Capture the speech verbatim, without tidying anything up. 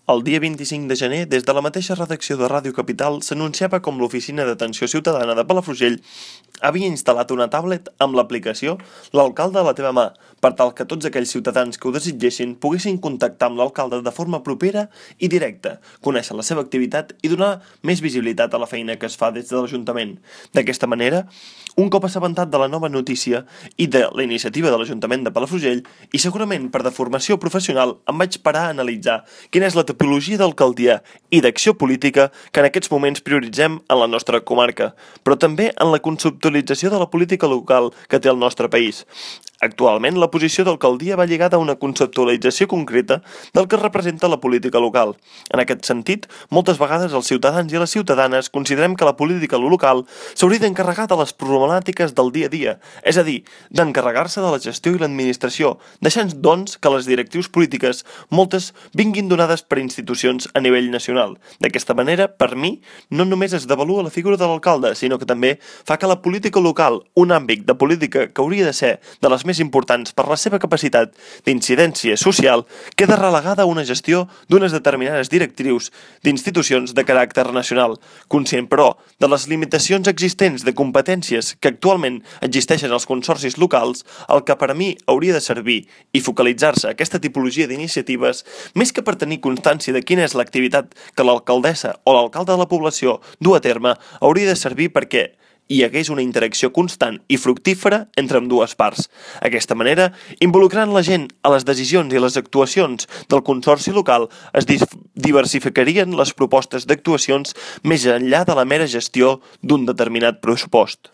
El dia vint-i-cinc de gener, des de la mateixa redacció de Ràdio Capital, s'anunciava com l'Oficina d'Atenció Ciutadana de Palafrugell havia instal·lat una tablet amb l'aplicació L'Alcalde a la teva mà, per tal que tots aquells ciutadans que ho desitgessin poguessin contactar amb l'alcalde de forma propera i directa, conèixer la seva activitat i donar més visibilitat a la feina que es fa des de l'Ajuntament. D'aquesta manera, un cop assabentat de la nova notícia i de la iniciativa de l'Ajuntament de Palafrugell, i segurament per deformació professional, em vaig parar a analitzar quina és la tipologia d'alcaldia i d'acció política que en aquests moments prioritzem en la nostra comarca, però també en la conceptualització de la política local que té el nostre país. Actualment, la posició d'alcaldia va lligada a una conceptualització concreta del que representa la política local. En aquest sentit, moltes vegades els ciutadans i les ciutadanes considerem que la política local s'hauria d'encarregar de les problemàtiques del dia a dia, és a dir, d'encarregar-se de la gestió i l'administració, deixant, doncs, que les directrius polítiques, moltes, vinguin donades per institucions a nivell nacional. D'aquesta manera, per mi, no només es devalua la figura de l'alcalde, sinó que també fa que la política local, un àmbit de política que hauria de ser de les més importants per la seva capacitat d'incidència social, queda relegada a una gestió d'unes determinades directrius d'institucions de caràcter nacional, conscient, però, de les limitacions existents de competències que actualment existeixen als consorcis locals, el que per a mi hauria de servir i focalitzar-se aquesta tipologia d'iniciatives, més que per tenir constància de quina és l'activitat que l'alcaldessa o l'alcalde de la població du a terme, hauria de servir perquè hi hagués una interacció constant i fructífera entre ambdues parts. D'aquesta manera, involucrant la gent a les decisions i les actuacions del consorci local, es diversificarien les propostes d'actuacions més enllà de la mera gestió d'un determinat pressupost.